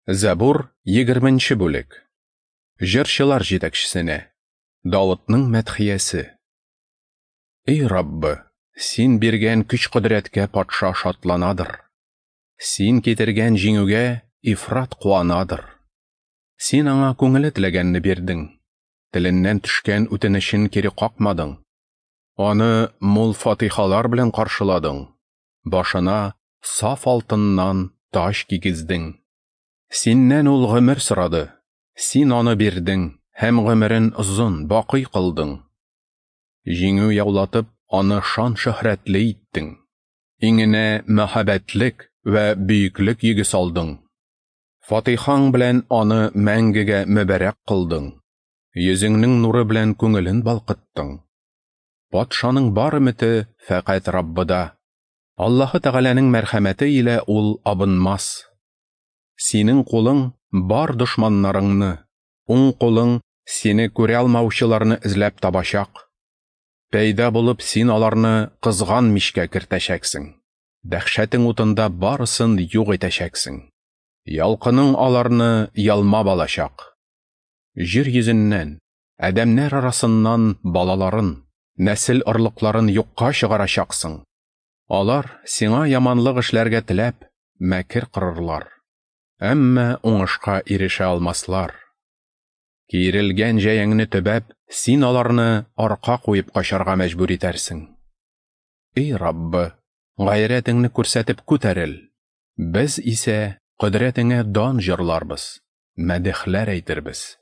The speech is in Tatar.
Зәбур, 20 бүлек. Җырчылар җитәкчесенә. Давытның мәдхиясе. Эй Раббы, син биргән көч-кодрәткә патша шатланадыр. Син китергән җиңүгә ифрат куанадыр. Син аңа күңеле теләгәнне бирдең. Теленнән төшкән үтенечен кире какмадың. Аны мул фатихалар белән каршыладың. Башына саф алтыннан таҗ кигездең. Синнән ул гомер сорады, син аны бирдең һәм гомерен озын, бакый кылдың. Җиңү яулатып, аны шан-шөһрәтле иттең. Иңенә мәһабәтлек вә бөеклек йөге салдың. Фатихаң белән аны мәңгегә мөбарәк кылдың. Йөзеңнең нуры белән күңелен балкыттың. Патшаның бар өмете фәкать Раббыда. Аллаһы Тәгаләнең мәрхәмәте илә ул абынмас. Синең кулың бар дошманнарыңны, уң кулың сине күрә алмаучыларны эзләп табачак. Пәйда булып, син аларны кызган мичкә кертәчәксең. Дәһшәтең утында барысын юк итәчәксең. Ялкының аларны ялмап алачак. Җир йөзеннән, адәмнәр арасыннан балаларын, нәсел орлыкларын юкка чыгарачаксың. Алар сиңа яманлык эшләргә теләп, мәкер корырлар. Әмма уңышка ирешә алмаслар. Киерелгән җәяңне төбәп, син аларны арка куеп качарга мәҗбүр итәрсең. Эй Раббы, гайрәтеңне күрсәтеп күтәрел. Без исә кодрәтеңә дан җырларбыз, мәдехләр әйтербез.